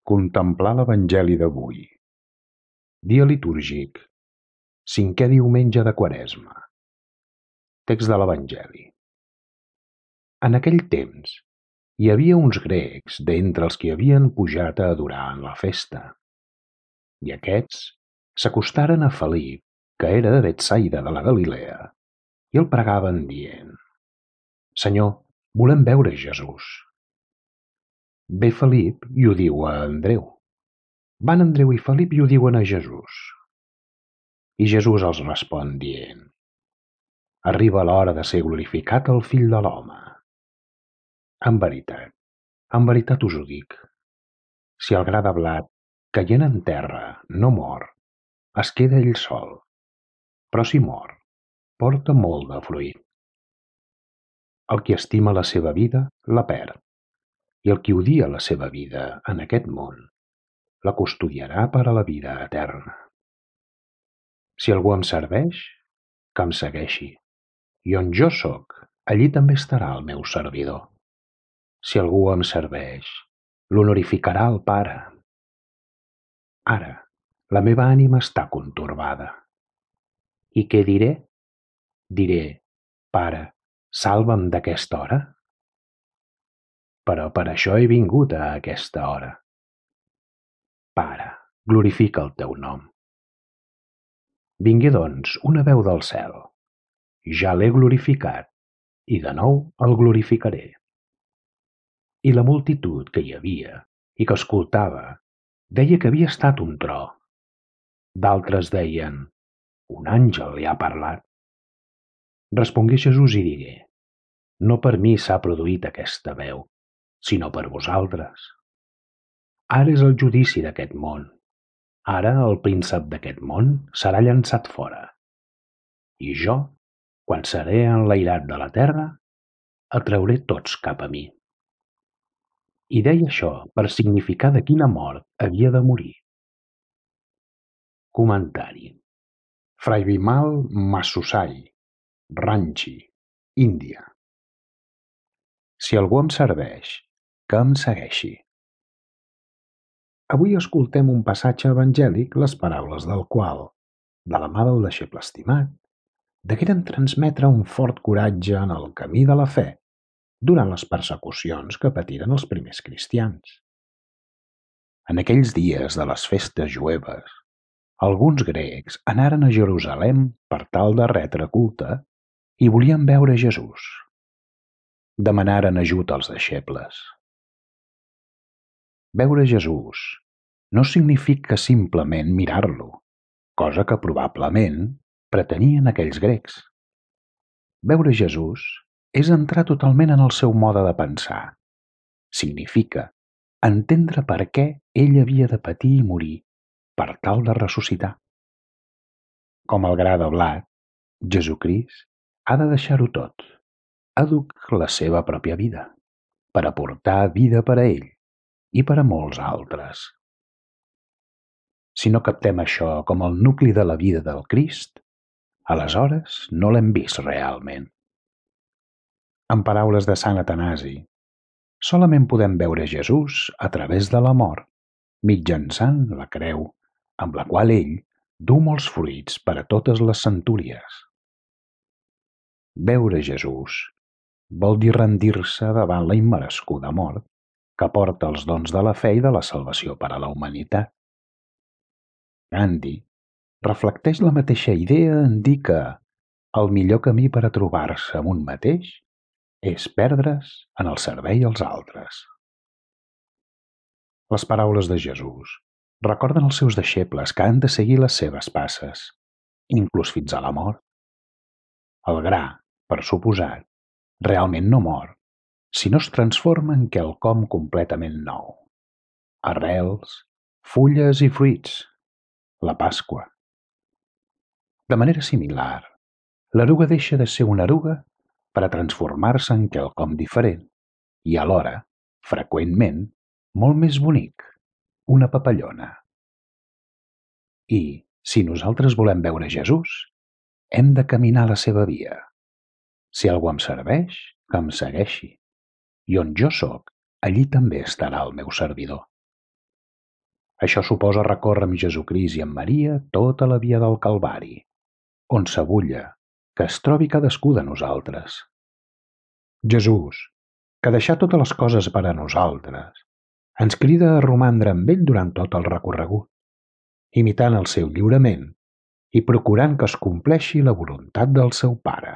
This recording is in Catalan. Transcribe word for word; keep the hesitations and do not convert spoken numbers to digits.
Contemplar l'Evangeli d'avui. Dia litúrgic. Cinquè diumenge de Quaresma. Text de l'Evangeli. En aquell temps hi havia uns grecs d'entre els que havien pujat a adorar en la festa. I aquests s'acostaren a Felip, que era de Betsaida de la Galilea, i el pregaven dient: Senyor, volem veure Jesús. Ve Felip i ho diu a Andreu. Van Andreu i Felip i ho diuen a Jesús. I Jesús els respon dient: Arriba l'hora de ser glorificat el Fill de l'Home. En veritat, en veritat us ho dic, si el gra de blat, caient en terra, no mor, es queda ell sol, però si mor, porta molt de fruit. El qui estima la seva vida, la perd, i el qui odia la seva vida en aquest món, la custodiarà per a la vida eterna. Si algú em serveix, que em segueixi, i on jo sóc, allí també estarà el meu servidor. Si algú em serveix, l'honorificarà el Pare. Ara, la meva ànima està contorbada. I què diré? Diré: Pare, salva'm d'aquesta hora? Però per això he vingut a aquesta hora. Pare, glorifica el teu nom. Vingué, doncs, una veu del cel. Ja l'he glorificat, i de nou el glorificaré. I la multitud que hi havia i que escoltava deia que havia estat un tro. D'altres deien: un àngel li ha parlat. Respongué Jesús i digué: No per mi s'ha produït aquesta veu, sinó per vosaltres. Ara és el judici d'aquest món. Ara el príncep d'aquest món serà llançat fora. I jo, quan seré enlairat de la terra, atrauré tots cap a mi. I deia això per significar de quina mort havia de morir. Comentari. Fray Bimal Masusai, Ranchi, Índia. Si algú em serveix, que em segueixi. Avui escoltem un passatge evangèlic les paraules del qual, de la mà del deixeble estimat, degueren transmetre un fort coratge en el camí de la fe durant les persecucions que patiren els primers cristians. En aquells dies de les festes jueves, alguns grecs anaren a Jerusalem per tal de retre culte i volien veure Jesús. Demanaren ajut als deixebles. Veure Jesús no significa simplement mirar-lo, cosa que probablement pretenien aquells grecs. Veure Jesús és entrar totalment en el seu mode de pensar. Significa entendre per què ell havia de patir i morir per tal de ressuscitar. Com el gra de blat, Jesucrist ha de deixar-ho tot, aduc la seva pròpia vida, per aportar vida per a ell i per a molts altres. Si no captem això com el nucli de la vida del Crist, aleshores no l'hem vist realment. En paraules de Sant Atanasi, solament podem veure Jesús a través de la mort, mitjançant la creu, amb la qual ell du molts fruits per a totes les centúries. Veure Jesús vol dir rendir-se davant la immerescuda mort que porta els dons de la fe i de la salvació per a la humanitat. Gandhi reflecteix la mateixa idea en dir que el millor camí per a trobar-se amb un mateix és perdre's en el servei als altres. Les paraules de Jesús recorden als seus deixebles que han de seguir les seves passes, inclús fins a la mort. El gra, per suposat, realment no mor, sinó es transforma en quelcom completament nou. Arrels, fulles i fruits, la Pasqua. De manera similar, l'eruga deixa de ser una eruga per a transformar-se en quelcom diferent i alhora, freqüentment, molt més bonic, una papallona. I, si nosaltres volem veure Jesús, hem de caminar la seva via. Si algú em serveix, que em segueixi. I on jo sóc, allí també estarà el meu servidor. Això suposa recórrer amb Jesucrist i amb Maria tota la via del Calvari, on s'abulla, que es trobi cadascú de nosaltres. Jesús, que deixà totes les coses per a nosaltres, ens crida a romandre amb ell durant tot el recorregut, imitant el seu lliurament i procurant que es compleixi la voluntat del seu Pare.